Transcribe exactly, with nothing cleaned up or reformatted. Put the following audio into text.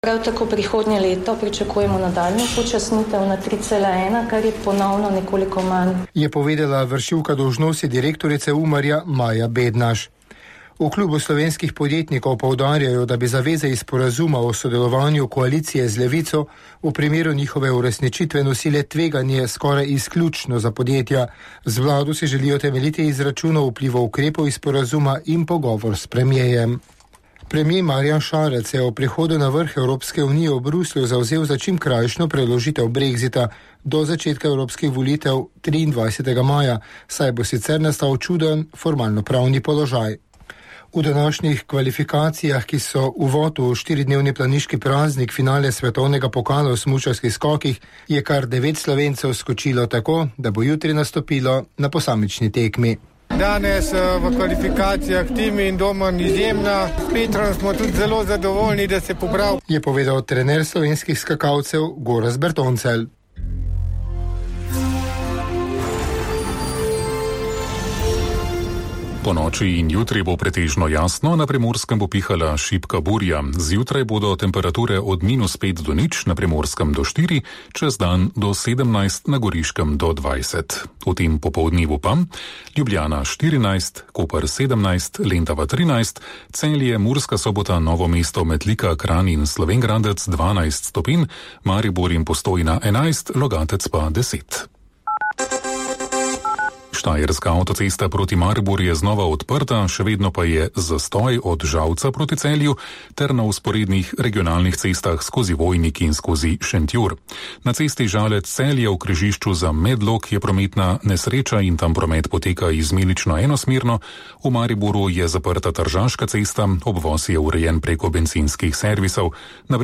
Prav tako prihodnje leto pričakujemo nadaljnjo počasnitev na tri cela ena, kar je ponovno nekoliko manj. Je povedala vršilka dolžnosti direktorice Umarja Maja Bednaš. V klubu slovenskih podjetnikov poudarjajo, da bi zaveze iz sporazuma o sodelovanju koalicije z Levico v primeru njihove uresničitve nosile tveganje skoraj izključno za podjetja. Z vlado si želijo temeljiti izračunov vplivov ukrepov iz sporazuma in pogovor s premijejem. Premijer Marjan Šarec je o prihodu na vrh Evropske unije v Bruslju zavzel za čim krajšno preložitev brexita do začetka evropskih volitev triindvajsetega maja, saj bo sicer nastal čuden formalno-pravni položaj. V današnjih kvalifikacijah, ki so uvod v štiridnevni planiški praznik finale svetovnega pokala v smučarskih skokih, je kar devet Slovencev skočilo tako, da bo jutri nastopilo na posamični tekmi. Danes v kvalifikacijah Tim in Domen izjemna. S Petrom smo tudi zelo zadovoljni, da se poprav. Je povedal trener slovenskih skakalcev Gorazd Bertoncelj. Po noči in jutri bo pretežno jasno, na Primorskem bo pihala šibka burja. Zjutraj bodo temperature od minus pet do nič, na Primorskem do štiri, čez dan do sedemnajst, na Goriškem do dvajset. V tem popoldnevu pa Ljubljana štirinajst, Koper sedemnajst, Lendava trinajst, Celje, Murska Sobota, Novo mesto, Metlika, Kranj in Slovenj Gradec dvanajst stopinj, Maribor in Postojna enajst, Logatec pa deset. Štajerska avtocesta proti Mariboru je znova odprta, še vedno pa je zastoj od Žalca proti Celju ter na vzporednih regionalnih cestah skozi Vojnik in skozi Šentjur. Na cesti Žalec-Celje v križišču za Medlog je prometna nesreča in tam promet poteka izmenično enosmerno. V Mariboru je zaprta Tržaška cesta, obvoz je urejen preko bencinskih servisov. Na